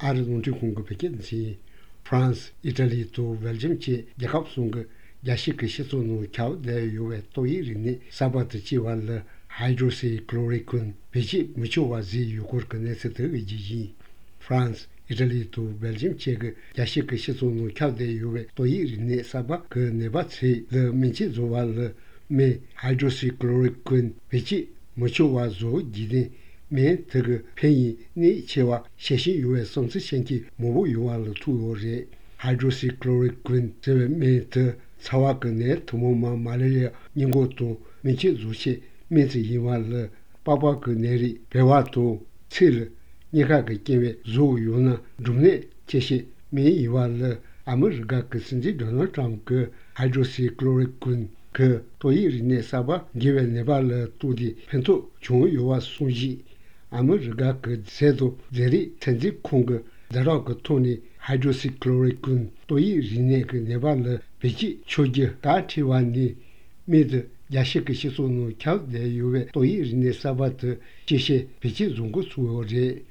아르동지 공급했겠지. 프랑스, 이탈리 또 벨gium치 야캅송그 야시크 시소노 캬데 요에 또이리니 사바트 지왈 하이드로시 클로리콘 베지 무초와지 요코르크네스트 의지지. 프랑스, 이탈리 또 벨gium치 그 야시크 시소노 캬데 요에 또이리니 사바 그 네바치 르 민치 조왈 메 하이드로시 클로리콘 베지 무초와조 지데 மே这个 편이 니 제와 셰시 유에 성스 생기 모부 요알로 투요레 하이드로시클로리퀸 제메트 사와근에 도모마 말레리아 인고도 미치 주시 미지 이왈 바바그 내리 배와도 칠 니가 그 게베 조요나 rum네 제시 미 이왈 아무르가 그 신지 도널드 트럼프 하이드로시클로리퀸 그 도이리네 사바 기베 네발 투디 펜토 종요와 소지 아무르가 그 제도 제리 텐지 콩그 자라그 토니 하이드로시클로리콘 또이 리네 그 네발레 베지 초지 다티완니 미드 야시크 시소노 캬데 요베 또이 리네 사바트 제시 베지 종고 수요제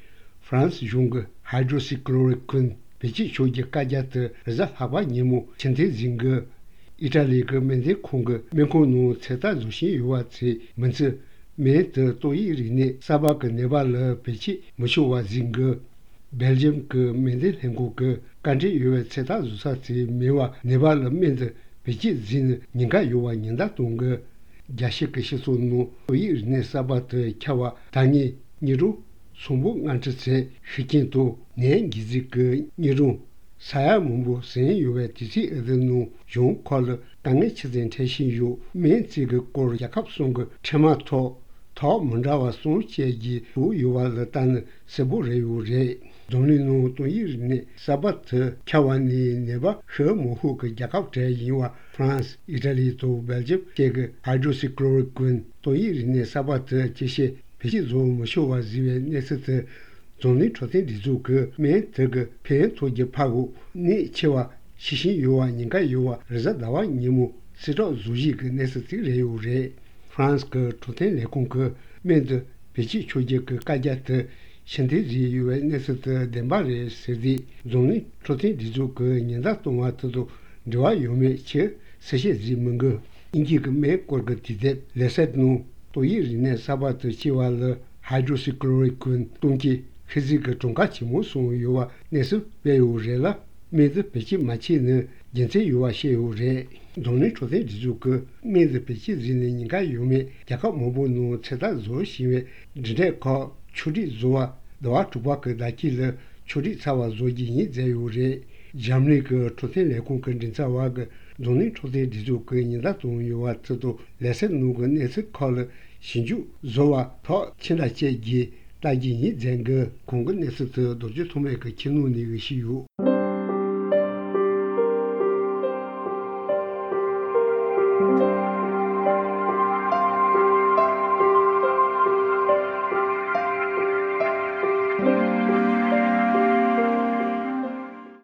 프랑스 종고 하이드로시클로리콘 베지 초지 까자트 자 하바 니모 첸데 징거 이탈리 그 멘데 콩그 멘코노 세다 주시 요와치 먼저 메드 또이리네 사바크 네발레 베치 무쇼와 징거 벨지엄 그 멘데 행고그 간지 요에 세다 주사치 메와 네발레 멘데 베치 진 닌가 요와 닌다 동거 야시크 시소노 또이리네 사바트 캬와 당이 니루 송부 안츠세 휘킨도 네기지그 니루 사야 문부 sen 요에 디시 에드노 용 콜 당의 치진 대신요 멘지그 꼴 약합송그 테마토 더 문자와 송체기 부요와를 단 세부레요레 돈리노 또이르네 사바트 캬완니 네바 허모후 그 약합제 이와 프랑스 이탈리 또 벨지엄 제그 하이드로시클로리콘 또이르네 사바트 제시 베지조 모쇼와 지베 네스트 종리 초대 리조그 매 저그 폐 토지 파고 니 체와 시신 요와 인가 요와 르자 나와 니무 시로 주지 그 네스트 레요레 프랑스 그 초대 레콩그 메드 베지 초지 그 까자트 신데지 요에 네스트 덴바레 세디 종리 초대 리조그 닌다 동아트도 저와 요메 체 세시 지문거 인기 그매 꼴거티데 레셋노 또이리네 사바트 치왈 하이드로시클로리콘 동기 피지크 종가치 무슨 요와 네스 배우레라 메드 베치 마치는 진짜 요와 셰우레 돈이 초대 지주그 메드 베치 지니니가 요메 약간 모보노 체다 조시메 드레코 추리 조와 도와 투바크 다키르 추리 사와 조지니 제우레 잠리그 초대 레콘 진짜와그 돈이 초대 지주그 니다 동요와 저도 레센 누군 네스 콜 신주 조와 더 친다제기大金一整个公共的是这都就从那个金融那个西游。